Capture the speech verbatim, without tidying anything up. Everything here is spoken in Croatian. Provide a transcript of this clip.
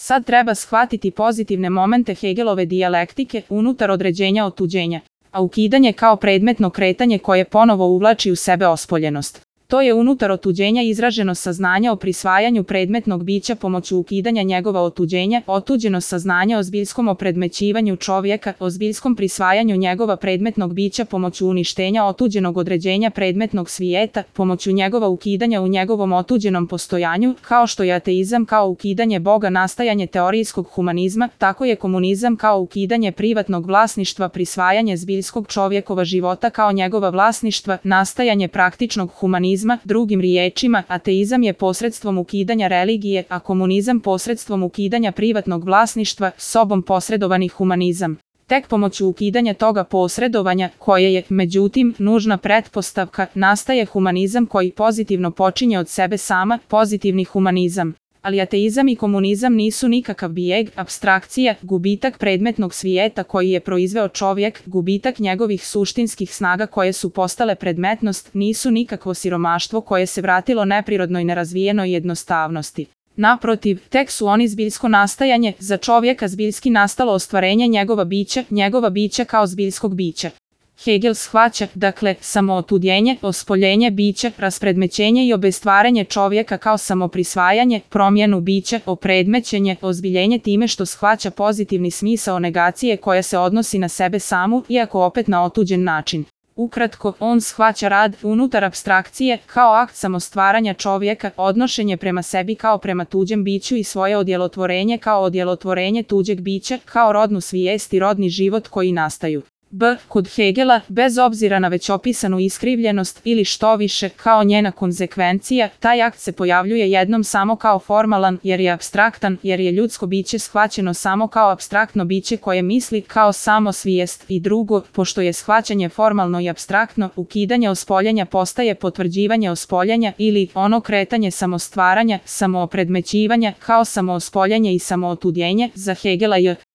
Sad treba shvatiti pozitivne momente Hegelove dijalektike unutar određenja otuđenja, a ukidanje kao predmetno kretanje koje ponovo uvlači u sebe ospoljenost. To je unutar otuđenja izraženo saznanje o prisvajanju predmetnog bića pomoću ukidanja njegova otuđenja, otuđeno saznanje o zbiljskom opredmećivanju čovjeka, o zbiljskom prisvajanju njegova predmetnog bića pomoću uništenja otuđenog određenja predmetnog svijeta, pomoću njegova ukidanja u njegovom otuđenom postojanju, kao što je ateizam kao ukidanje Boga nastajanje teorijskog humanizma, tako je komunizam kao ukidanje privatnog vlasništva prisvajanje zbiljskog čovjekova života kao njegova vlasništva, nastajanje praktičnog humanizma. Drugim riječima, ateizam je posredstvom ukidanja religije, a komunizam posredstvom ukidanja privatnog vlasništva, sobom posredovani humanizam. Tek pomoću ukidanja toga posredovanja, koje je, međutim, nužna pretpostavka, nastaje humanizam koji pozitivno počinje od sebe sama, pozitivni humanizam. Ali ateizam i komunizam nisu nikakav bijeg, apstrakcija, gubitak predmetnog svijeta koji je proizveo čovjek, gubitak njegovih suštinskih snaga koje su postale predmetnost, nisu nikakvo siromaštvo koje se vratilo neprirodnoj nerazvijenoj jednostavnosti. Naprotiv, tek su oni zbiljsko nastajanje, za čovjeka zbiljski nastalo ostvarenje njegova bića, njegova bića kao zbiljskog bića. Hegel shvaća, dakle, samootuđenje, ospoljenje bića, raspredmećenje i obestvarenje čovjeka kao samoprisvajanje, promjenu bića, opredmećenje, ozbiljenje time što shvaća pozitivni smisao negacije koja se odnosi na sebe samu, iako opet na otuđen način. Ukratko, on shvaća rad unutar apstrakcije kao akt samostvaranja čovjeka, odnošenje prema sebi kao prema tuđem biću i svoje odjelotvorenje kao odjelotvorenje tuđeg bića, kao rodnu svijest i rodni život koji nastaju. B. Kod Hegela, bez obzira na već opisanu iskrivljenost ili što više, kao njena konzekvencija, taj akt se pojavljuje jednom samo kao formalan, jer je apstraktan, jer je ljudsko biće shvaćeno samo kao apstraktno biće koje misli kao samo svijest i drugo, pošto je shvaćanje formalno i apstraktno, ukidanje ospoljenja postaje potvrđivanje ospoljenja ili ono kretanje samostvaranja, samoopredmećivanja, kao samoospoljenje i samootuđenje, za Hegela je